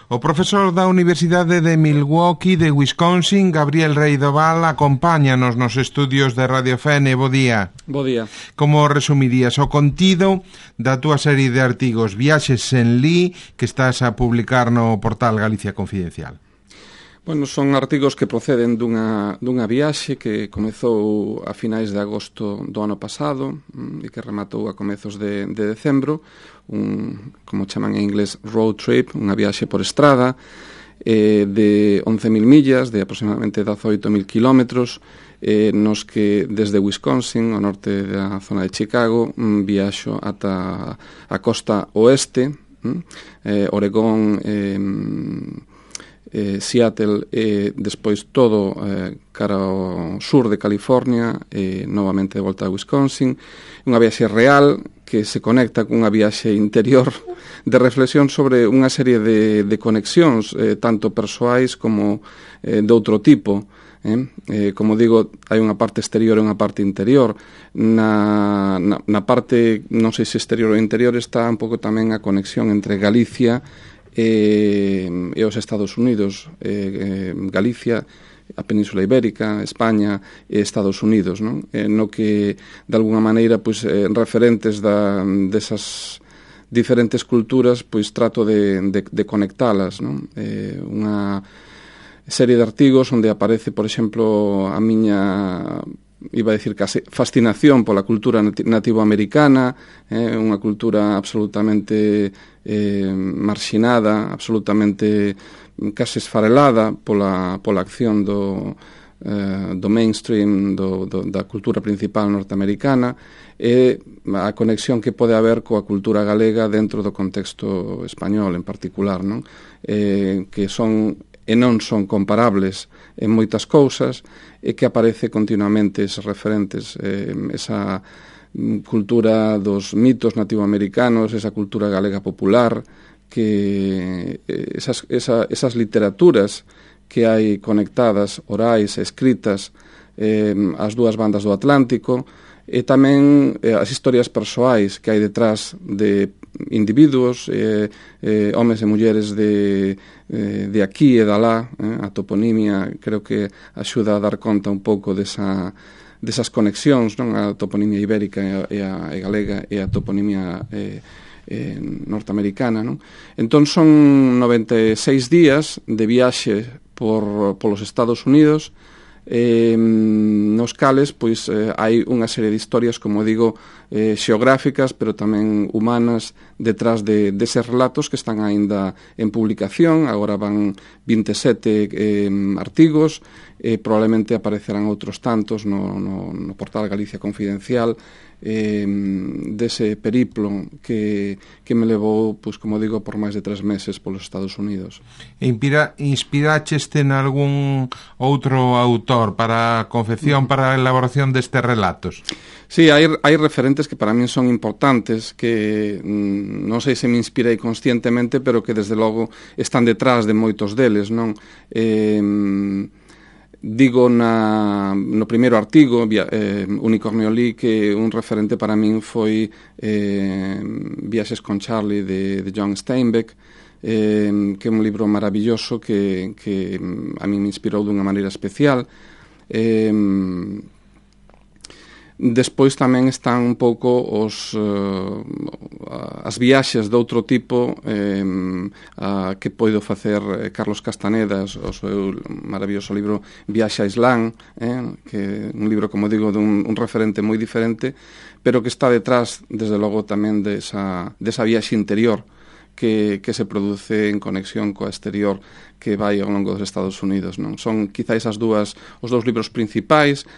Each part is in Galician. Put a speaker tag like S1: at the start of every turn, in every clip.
S1: O profesor da Universidade de Milwaukee de Wisconsin, Gabriel Rei do Val, acompáñanos nos estudios de Radio Fene. Bo día.
S2: Bo día.
S1: Como resumirías o contido da túa serie de artigos Viaxes sen Li que estás a publicar no portal Galicia Confidencial?
S2: Bueno, son artigos que proceden dunha viaxe que comezou a finais de agosto do ano pasado e que rematou a comezos de decembro, como chaman en inglés, road trip, unha viaxe por estrada de 11.000 millas, de aproximadamente 18.000 kilómetros, nos que desde Wisconsin, ao norte da zona de Chicago, viaxo ata a costa oeste, Oregón, Seattle e despois todo cara ao sur de California e novamente de volta a Wisconsin. Unha viaxe real que se conecta cunha viaxe interior de reflexión sobre unha serie de conexións tanto persoais como de outro tipo. Como digo, hai unha parte exterior e unha parte interior. Na parte, non sei se exterior ou interior, está un pouco tamén a conexión entre Galicia e os Estados Unidos, Galicia, a Península Ibérica, España e Estados Unidos, non? No que, de alguna maneira, pois, referentes desas diferentes culturas, pois trato de conectalas, non? Unha serie de artigos onde aparece, por exemplo, a miña, iba a decir case, fascinación pola cultura nativoamericana, unha cultura absolutamente marxinada, absolutamente case esfarelada pola acción do mainstream, da cultura principal norteamericana, e a conexión que pode haber coa cultura galega dentro do contexto español en particular, non? Que son e non son comparables en moitas cousas, e que aparece continuamente eses referentes, esa cultura dos mitos nativoamericanos, esa cultura galega popular, que esas literaturas que hai conectadas, orais, escritas, as dúas bandas do Atlántico, e tamén as historias persoais que hai detrás de individuos, homes e mulleres de aquí e de alá. A toponimia creo que axuda a dar conta un pouco desas conexións, non? A toponimia ibérica e a galega e a toponimia norteamericana, non? Entón son 96 días de viaxe polos Estados Unidos, nos cales pois hai unha serie de historias, como digo, xeográficas, pero tamén humanas detrás deses relatos que están aínda en publicación. Agora van 27 artigos, probablemente aparecerán outros tantos no portal Galicia Confidencial, dese periplo que me levou, pois, como digo, por máis de 3 meses polos Estados Unidos.
S1: Inspiraxeste en algún outro autor para a confección, para a elaboración destes relatos?
S2: Sí, hai referentes que para min son importantes, que non sei se me inspirei conscientemente, pero que desde logo están detrás de moitos deles, non? Digo no primeiro artigo, Unicornio Lee, que un referente para min foi Viaxes con Charlie de John Steinbeck, que é un libro maravilloso que a min me inspirou dunha maneira especial. Despois tamén están un pouco as viaxes de outro tipo que poido facer Carlos Castaneda, o seu maravilloso libro Viaxe a Islán, que é un libro, como digo, dun referente moi diferente, pero que está detrás, desde logo, tamén desa viaxe interior que se produce en conexión coa exterior que vai ao longo dos Estados Unidos, non? Son quizáis os dous libros principais.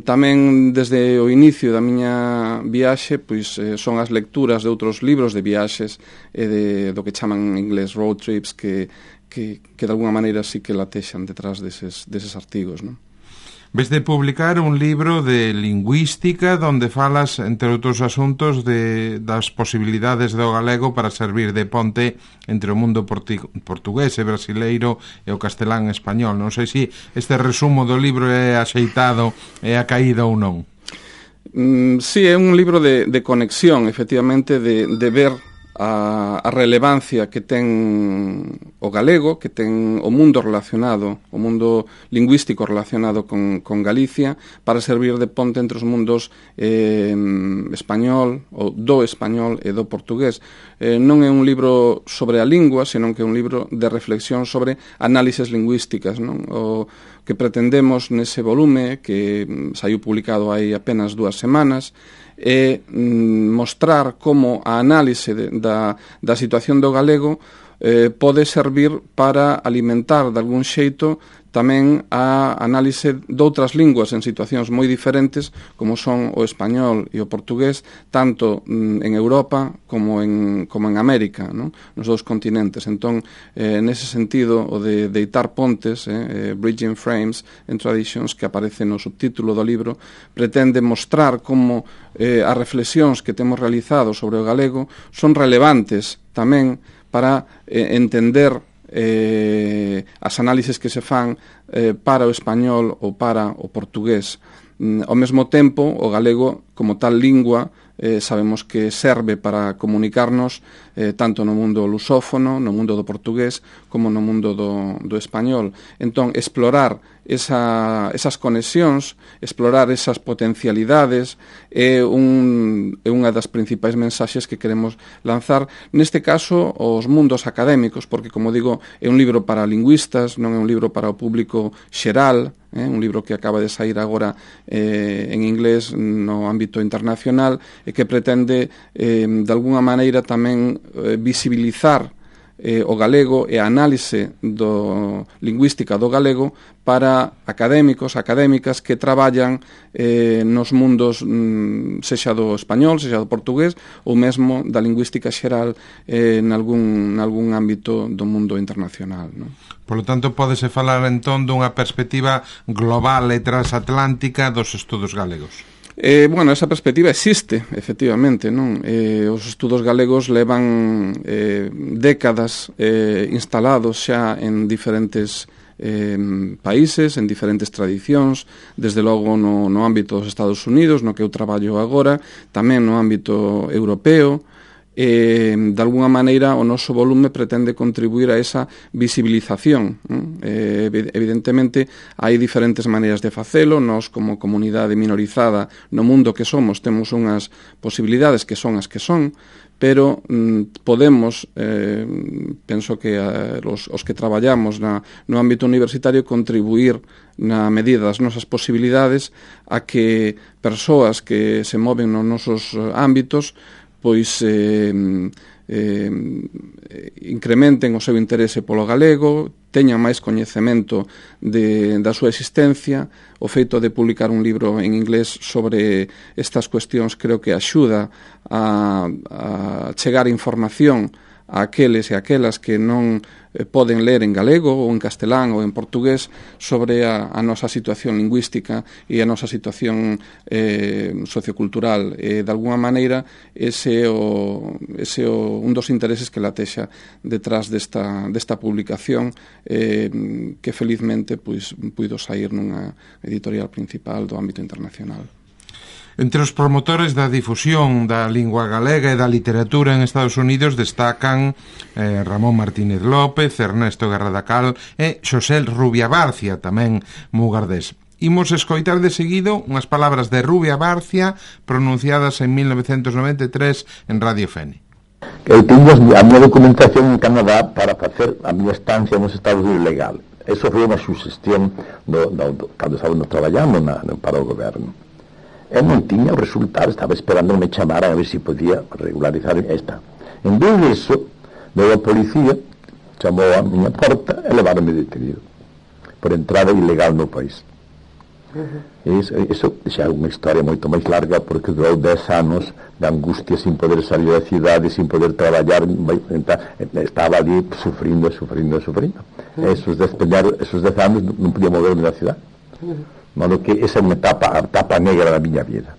S2: Tamén desde o inicio da miña viaxe, pois son as lecturas de outros libros de viaxes e do que chaman en inglés road trips, que de alguna maneira sí que latexan detrás deses artigos, non?
S1: Ves de publicar un libro de lingüística donde falas, entre outros asuntos, das posibilidades do galego para servir de ponte entre o mundo portugués e brasileiro e o castelán español. Non sei se este resumo do libro é axeitado, é acaído ou non.
S2: Sí, é un libro de conexión, efectivamente, de ver a relevancia que ten o galego, que ten o mundo relacionado, o mundo lingüístico relacionado con Galicia, para servir de ponte entre os mundos español, ou do español e do portugués. Non é un libro sobre a lingua, senón que é un libro de reflexión sobre análises lingüísticas, non? O que pretendemos nese volume, que saiu publicado hai apenas 2 semanas, é mostrar como a análise da situación do galego pode servir para alimentar de algún xeito tamén a análise doutras linguas en situacións moi diferentes como son o español e o portugués, tanto en Europa como en América, non? Nos dous continentes. Entón, nese sentido, o de deitar pontes, Bridging Frames and Traditions, que aparece no subtítulo do libro, pretende mostrar como as reflexións que temos realizado sobre o galego son relevantes tamén para entender as análises que se fan para o español ou para o portugués. Ao mesmo tempo, o galego, como tal lingua, sabemos que serve para comunicarnos tanto no mundo lusófono, no mundo do portugués, como no mundo do español. Entón, explorar esas conexións, explorar esas potencialidades é unha das principais mensaxes que queremos lanzar, neste caso, aos mundos académicos, porque, como digo, é un libro para lingüistas, non é un libro para o público xeral, un libro que acaba de sair agora en inglés no ámbito internacional e que pretende, de alguna maneira, tamén visibilizar o galego e a análise lingüística do galego para académicos, académicas que traballan nos mundos sexa do español, sexa do portugués ou mesmo da lingüística xeral nalgún ámbito do mundo internacional, non?
S1: Por lo tanto, pódese falar entón dunha perspectiva global e transatlántica dos estudos galegos.
S2: Bueno, esa perspectiva existe, efectivamente, non? Os estudos galegos levan décadas instalados xa en diferentes países, en diferentes tradicións, desde logo no ámbito dos Estados Unidos, no que eu traballo agora, tamén no ámbito europeo. De alguna maneira o noso volume pretende contribuir a esa visibilización. Evidentemente hai diferentes maneiras de facelo. Nós, como comunidade minorizada no mundo que somos, temos unhas posibilidades que son as que son, pero podemos, penso que os que traballamos no ámbito universitario, contribuir na medida das nosas posibilidades a que persoas que se moven nos nosos ámbitos pois incrementen o seu interese polo galego, teñan máis coñecemento da súa existencia. O feito de publicar un libro en inglés sobre estas cuestións creo que axuda a chegar información a aqueles e aquelas que non poden ler en galego ou en castelán ou en portugués sobre a nosa situación lingüística e a nosa situación sociocultural. De alguna maneira, ese é un dos intereses que latexa detrás desta publicación, que felizmente puido sair nunha editorial principal do ámbito internacional.
S1: Entre os promotores da difusión da lingua galega e da literatura en Estados Unidos destacan Ramón Martínez López, Ernesto Guerradacal e Xosé Rubia Barcia, tamén mugardés. Imos escoitar de seguido unhas palabras de Rubia Barcia pronunciadas en 1993 en Radio Fene.
S3: Eu tiño a minha documentación en Canadá para facer a minha estancia nos Estados Unidos legal. Eso foi unha suxestión cando estábamos traballando para o goberno. Eu non tiña o resultado, estaba esperando que me chamaran a ver se podía regularizar esta. En vez disso, veio a policía, chamou a miña porta e levaronme detenido por entrada ilegal no país. Iso xa é unha historia moito máis larga, porque durou 10 anos de angustia sin poder salir da cidade, sin poder traballar, estaba ali sufrindo. Esos 10 anos non podía moverme da cidade. Modo que esa é unha etapa negra da miña vida.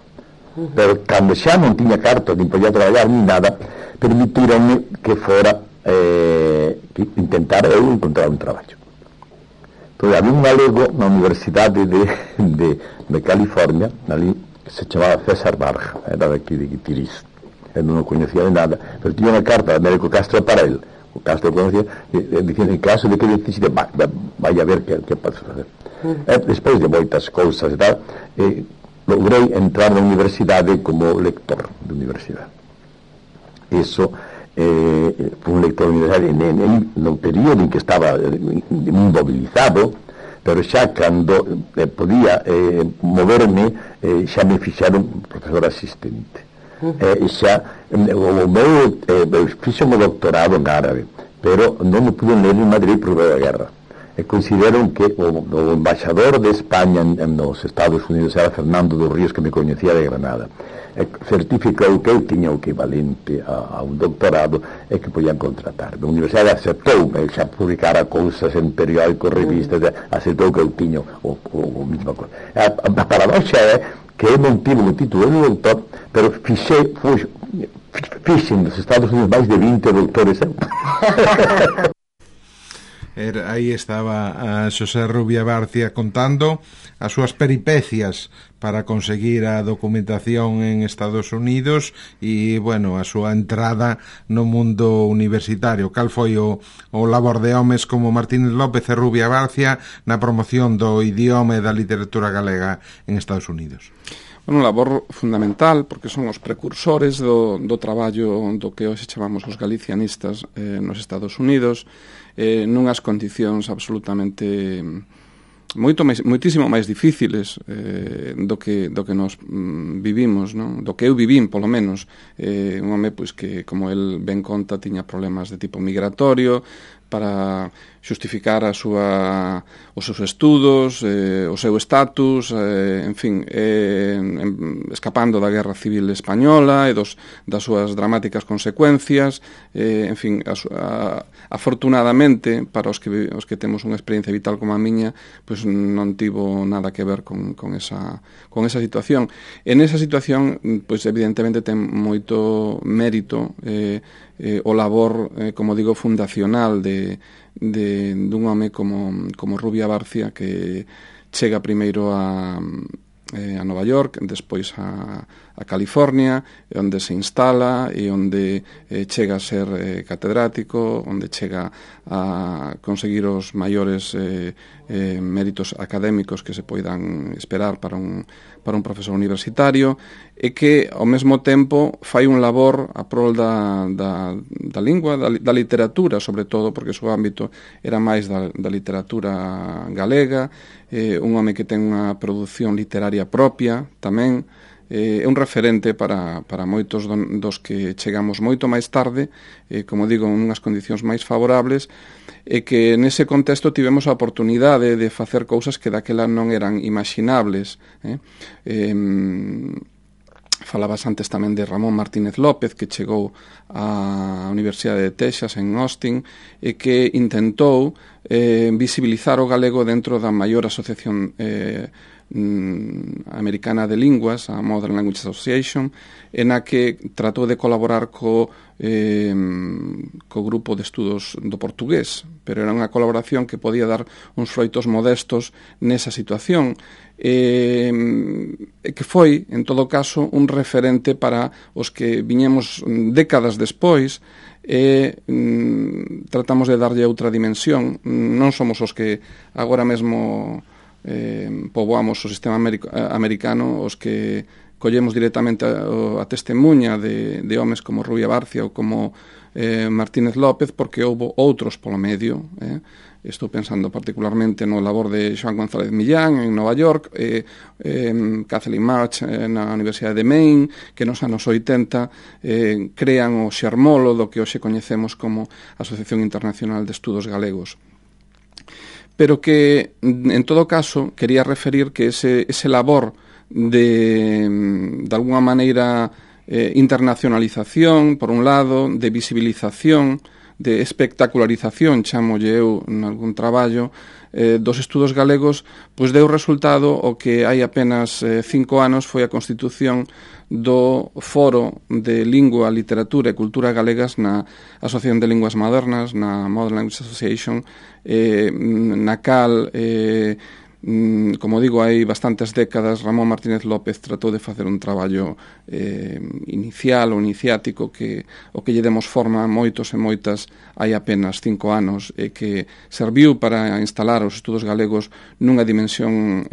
S3: Pero cando xa non tiña carta, nin podía traballar, nin nada, permitironme que fora que intentara eu encontrar un traballo. Entón, había un galego na Universidade de California, ali, que se chamaba César Barja, era daqui de Guitiriz. non o coñecía de nada, pero tiña unha carta de Américo Castro para él, o Castro conocía, dicindo, en caso de que necesite, vai a ver que pode facer. Despois de moitas cousas e tal, logrei entrar na universidade como lector de universidade. Iso foi un lector de universidade no período en que estaba inmobilizado, pero xa cando podía moverme, xa me fixaron profesor asistente. Xa o meu fixo o doctorado en árabe, pero non me pude ler en Madrid por da guerra. Considero que o embaixador de España nos Estados Unidos era Fernando dos Ríos, que me coñecía de Granada, certificou que eu tiña o equivalente a un doctorado e que podían contratarme. A universidade aceptou, xa publicara cousas en periódicos, revistas, aceptou que eu tiña o mismo cosa. A paradoxa é que eu non tive o título de doutor, pero fixen nos Estados Unidos máis de 20 doutores.
S1: Aí estaba a Xosé Rubia Barcia contando as súas peripecias para conseguir a documentación en Estados Unidos e, bueno, a súa entrada no mundo universitario. Cal foi o labor de homes como Martínez López e Rubia Barcia na promoción do idioma e da literatura galega en Estados Unidos?
S2: Un labor fundamental, porque son os precursores do traballo do que hoxe chamamos os galicianistas nos Estados Unidos, nunhas condicións absolutamente moitísimo máis difíciles do que nos vivimos, non? Do que eu vivín, polo menos. Un home pois que, como el ben conta, tiña problemas de tipo migratorio para xustificar os seus estudos, o seu estatus, en fin, escapando da Guerra Civil Española e das súas dramáticas consecuencias, en fin, afortunadamente, para os que temos unha experiencia vital como a miña, pois non tivo nada que ver con esa situación. En esa situación, pois evidentemente ten moito mérito o labor, como digo, fundacional dun home como Rubia Barcia, que chega primeiro a Nova York, despois a California, onde se instala e onde chega a ser catedrático, onde chega a conseguir os maiores méritos académicos que se poidan esperar para un profesor universitario, e que ao mesmo tempo fai un labor a prol da lingua, da literatura, sobre todo, porque o seu ámbito era máis da literatura galega, un home que ten unha produción literaria propia tamén, é un referente para moitos dos que chegamos moito máis tarde, como digo, en unhas condicións máis favorables, e que nese contexto tivemos a oportunidade de facer cousas que daquela non eran imaginables. Falabas antes tamén de Ramón Martínez López, que chegou á Universidade de Texas en Austin e que intentou visibilizar o galego dentro da maior asociación americana de linguas, a Modern Language Association, en a que tratou de colaborar co grupo de estudos do portugués, pero era unha colaboración que podía dar uns froitos modestos nesa situación, e que foi, en todo caso, un referente para os que viñemos décadas despois e tratamos de darlle outra dimensión. Non somos os que agora mesmo poboamos o sistema americano, os que collemos directamente a testemunha de homes como Rubia Barcia ou como Martínez López, porque houve outros polo medio. Estou pensando particularmente no labor de Joan González Millán en Nova York, Kathleen March na Universidade de Maine, que nos anos 80 crean o xermolo do que hoxe coñecemos como Asociación Internacional de Estudos Galegos. Pero que, en todo caso, quería referir que ese labor de alguna maneira, internacionalización, por un lado, de visibilización, de espectacularización, chamolle eu en algún traballo, dos estudos galegos, pois deu resultado o que hai apenas 5 anos foi a constitución do Foro de Lingua, Literatura e Cultura Galegas na Asociación de Linguas Modernas, na Modern Language Association, na cal Como digo, hai bastantes décadas Ramón Martínez López tratou de facer un traballo inicial ou iniciático que o que lle demos forma a moitos e moitas hai apenas 5 anos e que serviu para instalar os estudos galegos nunha dimensión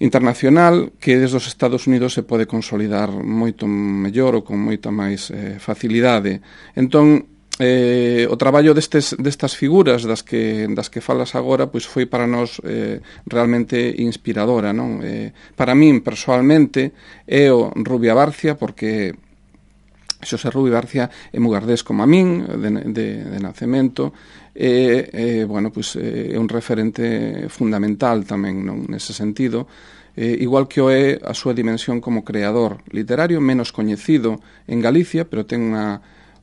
S2: internacional que desde os Estados Unidos se pode consolidar moito mellor ou con moita máis facilidade. Entón, o traballo destas figuras das que falas agora pois foi para nós realmente inspiradora, non? Para min, persoalmente, é o Rubia Barcia, porque Xosé Rubio Barcia é mugardés como a min, de nacemento, bueno, pois, é un referente fundamental tamén, non, nese sentido, igual que o é a súa dimensión como creador literario, menos coñecido en Galicia, pero ten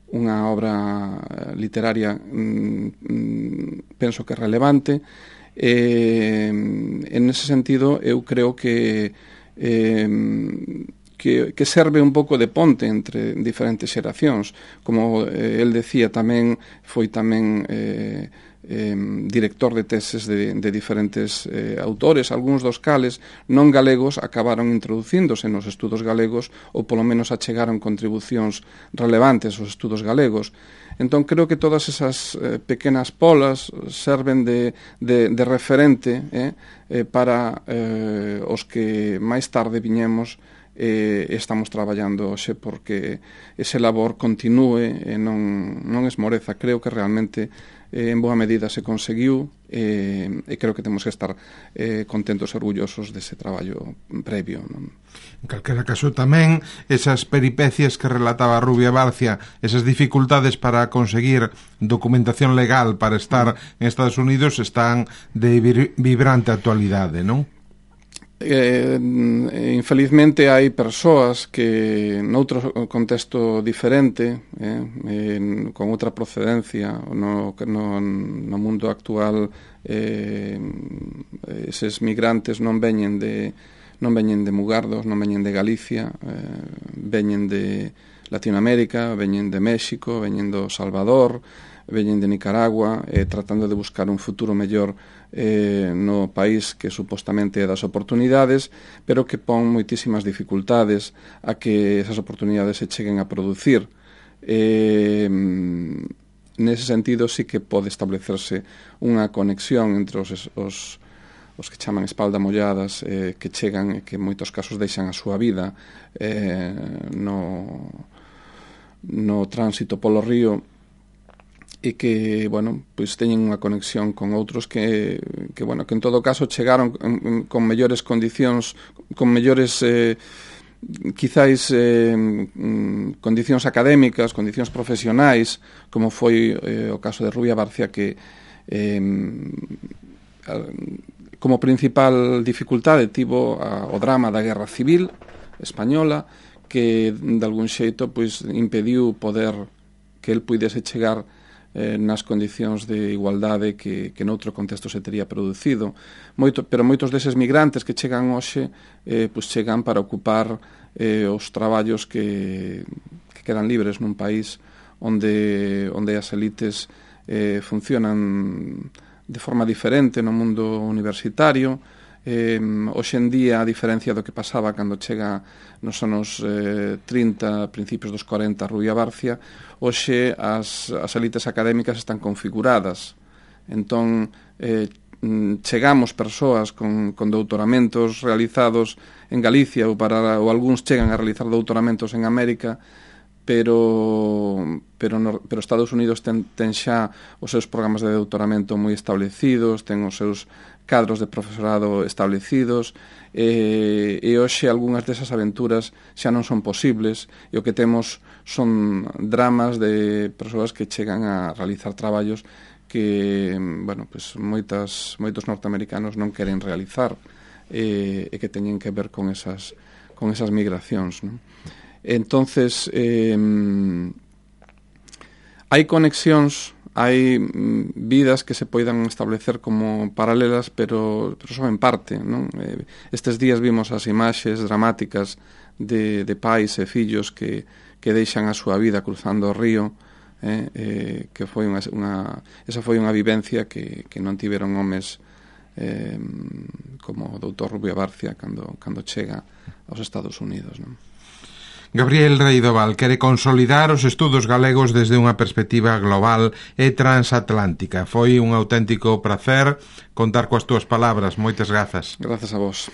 S2: unha obra literaria penso que relevante. En ese sentido eu creo que serve un pouco de ponte entre diferentes xeracións. Como el decía, tamén foi tamén director de teses de diferentes autores, algúns dos cales non galegos acabaron introducíndose nos estudos galegos ou polo menos achegaron contribucións relevantes aos estudos galegos. Entón creo que todas esas pequenas polas serven de referente para os que máis tarde viñemos estamos traballando hoxe porque ese labor continúe e non esmoreza. Creo que realmente en boa medida se conseguiu e creo que temos que estar contentos e orgullosos dese traballo previo, non?
S1: En calquera caso tamén esas peripecias que relataba Rubia Barcia, esas dificultades para conseguir documentación legal para estar en Estados Unidos están de vibrante actualidade, non?
S2: Infelizmente hai persoas que noutro contexto diferente con outra procedencia no mundo actual eses migrantes non veñen de Mugardos, non veñen de Galicia, veñen de Latinoamérica, veñen de México, veñen do Salvador, veñen de Nicaragua, tratando de buscar un futuro mellor no país que supostamente é das oportunidades, pero que pon moitísimas dificultades a que esas oportunidades se cheguen a producir. Nese sentido sí que pode establecerse unha conexión entre os que chaman espalda molladas, que chegan e que en moitos casos deixan a súa vida no tránsito polo río, e que, bueno, pois teñen unha conexión con outros que en todo caso chegaron con mellores condicións, con mellores quizáis condicións académicas, condicións profesionais, como foi o caso de Rubia Barcia, que como principal dificultade tivo o drama da Guerra Civil española, que de algún xeito pois impediu poder que el puidese chegar nas condicións de igualdade que noutro contexto se tería producido. Pero moitos deses migrantes que chegan hoxe pois chegan para ocupar os traballos que quedan libres nun país onde as elites funcionan de forma diferente no mundo universitario. Hoxe en día, a diferencia do que pasaba cando chega nos anos 30, principios dos 40, Rubia Barcia, hoxe as elites académicas están configuradas. Entón, chegamos persoas con doutoramentos realizados en Galicia ou algúns chegan a realizar doutoramentos en América, pero Estados Unidos ten xa os seus programas de doutoramento moi establecidos, ten os seus cadros de profesorado establecidos, e hoxe algunhas desas aventuras xa non son posibles, e o que temos son dramas de persoas que chegan a realizar traballos que, bueno, pues moitos norteamericanos non queren realizar, e que teñen que ver con esas migracións, non? Entonces, hai conexións, hai vidas que se poidan establecer como paralelas, pero só en parte, non? Estes días vimos as imaxes dramáticas de pais e fillos que deixan a súa vida cruzando o río, que foi esa foi unha vivencia que non tiveron homes como o doutor Rubio Barcia cando chega aos Estados Unidos, non?
S1: Gabriel Reidoval quere consolidar os estudos galegos desde unha perspectiva global e transatlántica. Foi un auténtico prazer contar coas túas palabras. Moitas grazas.
S2: Grazas a vos.